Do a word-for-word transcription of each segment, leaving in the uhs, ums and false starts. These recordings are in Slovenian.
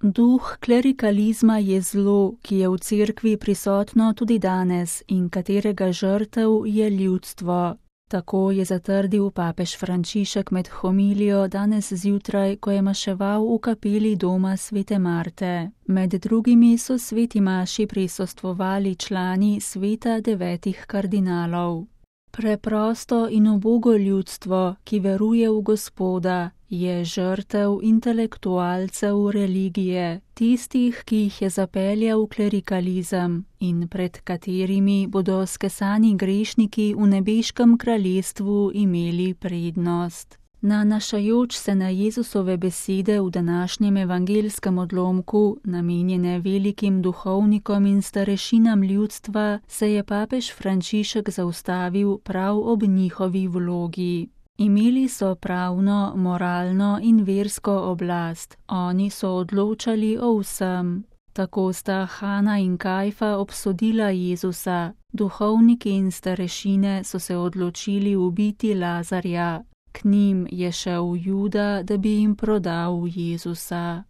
Duh klerikalizma je zlo, ki je v cerkvi prisotno tudi danes in katerega žrtev je ljudstvo. Tako je zatrdil papež Frančišek med homilijo danes zjutraj, ko je maševal v kapeli doma svete Marte. Med drugimi so sveti maši prisostvovali člani sveta devetih kardinalov. Preprosto in ubogo ljudstvo, ki veruje v Gospoda, je žrtev intelektualcev religije, tistih, ki jih je zapeljal klerikalizem in pred katerimi bodo skesani grešniki v nebeškem kraljestvu imeli prednost. Nanašajoč se na Jezusove besede v današnjem evangelskem odlomku, namenjene velikim duhovnikom in starešinam ljudstva, se je papež Frančišek zaustavil prav ob njihovi vlogi. Imeli so pravno, moralno in versko oblast, oni so odločali o vsem. Tako sta Hana in Kajfa obsodila Jezusa, duhovniki in starešine so se odločili ubiti Lazarja. K njim je šel Juda, da bi jim prodal Jezusa.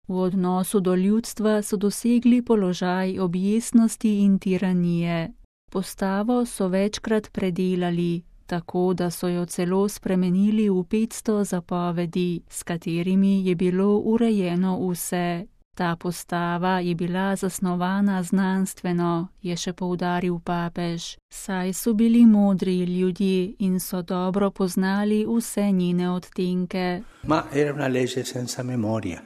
V odnosu do ljudstva so dosegli položaj objestnosti in tiranije. Postavo so večkrat predelali, tako da so jo celo spremenili v petsto zapovedi, s katerimi je bilo urejeno vse. Ta postava je bila zasnovana znanstveno, je še poudaril papež, saj so bili modri ljudje in so dobro poznali vse njene odtenke. Ma era una legge senza memoria.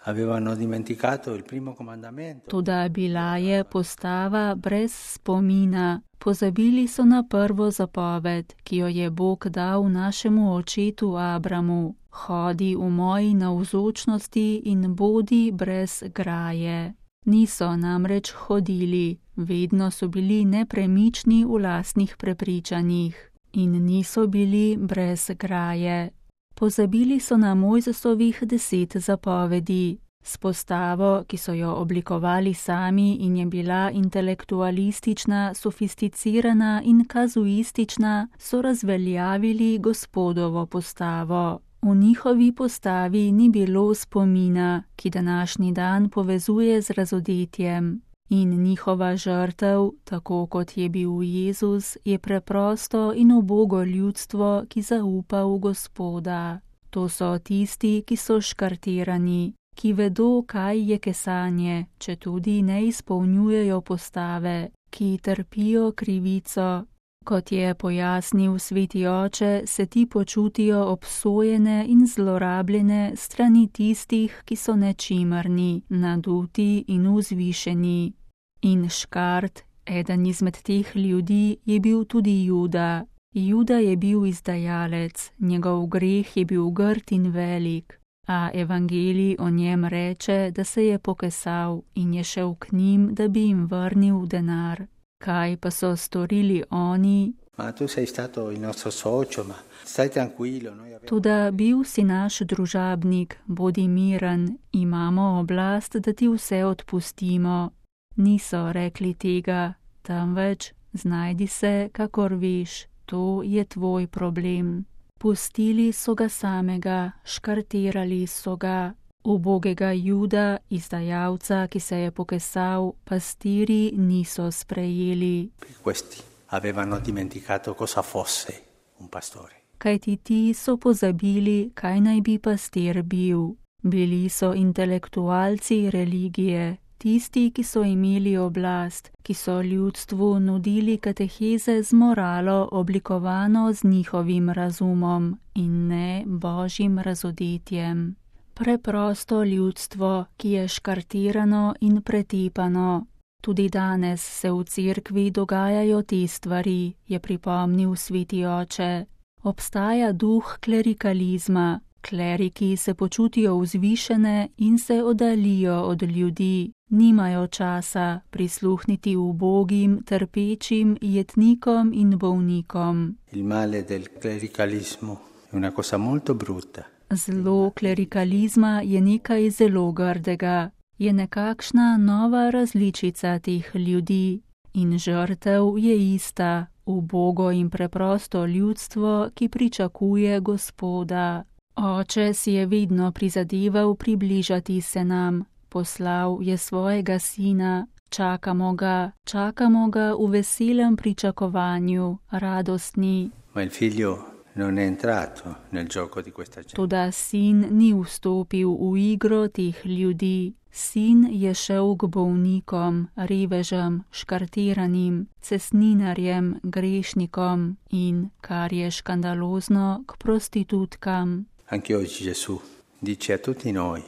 Avevano dimenticato il primo comandamento. Toda bila je postava brez spomina. Pozabili so na prvo zapoved, ki jo je Bog dal našemu očetu Abramu. Hodi v moji navzočnosti in bodi brez graje. Niso namreč hodili, vedno so bili nepremični v lastnih prepričanjih in niso bili brez graje. Pozabili so na Mojzesovih deset zapovedi. S postavo, ki so jo oblikovali sami in je bila intelektualistična, sofisticirana in kazuistična, so razveljavili Gospodovo postavo. V njihovi postavi ni bilo spomina, ki današnji dan povezuje z razodetjem. In njihova žrtev, tako kot je bil Jezus, je preprosto in ubogo ljudstvo, ki zaupa v Gospoda. To so tisti, ki so škartirani, ki vedo, kaj je kesanje, če tudi ne izpolnjujejo postave, ki trpijo krivico. Kot je pojasnil sveti oče, se ti počutijo obsojene in zlorabljene strani tistih, ki so nečimrni, naduti in vzvišeni. In škart, eden izmed teh ljudi, je bil tudi Juda. Juda je bil izdajalec, njegov greh je bil grd in velik, a evangelij o njem reče, da se je pokesal in je šel k njim, da bi jim vrnil denar. Kaj pa so storili oni? Ma tu sei stato il nostro socio, ma stai tranquillo. Noi abbiamo... Toda bil si naš družabnik, bodi miren, imamo oblast, da ti vse odpustimo. Niso rekli tega, temveč znajdi se, kakor veš, to je tvoj problem. Pustili so ga samega, škartirali so ga. Ubogega Juda, izdajalca, ki se je pokesal, pastiri niso sprejeli. Questi avevano dimenticato cosa fosse un pastore. Kajti ti so pozabili, kaj naj bi pastir bil. Bili so intelektualci religije, tisti, ki so imeli oblast, ki so ljudstvu nudili kateheze z moralo oblikovano z njihovim razumom in ne božjim razodetjem. Preprosto ljudstvo, ki je škartirano in pretepano. Tudi danes se v cerkvi dogajajo te stvari, je pripomnil sveti oče. Obstaja duh klerikalizma, kleriki se počutijo vzvišene in se oddaljijo od ljudi, nimajo časa prisluhniti ubogim, trpečim, jetnikom in bolnikom. Il male del clericalismo è una cosa molto brutta. Zlo klerikalizma je nekaj zelo grdega, je nekakšna nova različica teh ljudi in žrtev je ista, ubogo in preprosto ljudstvo, ki pričakuje Gospoda. Oče si je vedno prizadeval približati se nam, poslal je svojega sina, čakamo ga, čakamo ga v veselem pričakovanju, radostni. Ma il figlio non è entrato nel gioco di questa gente. Toda sin ni vstopil v igro teh ljudi. Sin je šel k bolnikom, revežem, škartiranim, cesninarjem, grešnikom in, kar je škandalozno, k prostitutkam. Anche oggi Gesù dice a tutti noi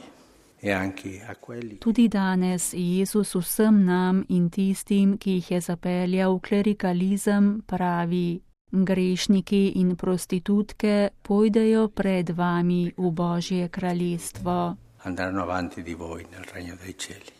e anche a quelli. Tudi danes Jezus vsem nam in tistim, ki jih je zapeljal v klerikalizem, pravi: grešniki in prostitutke pojdejo pred vami v Božje kraljestvo. Andranno avanti di voi nel regno dei cieli.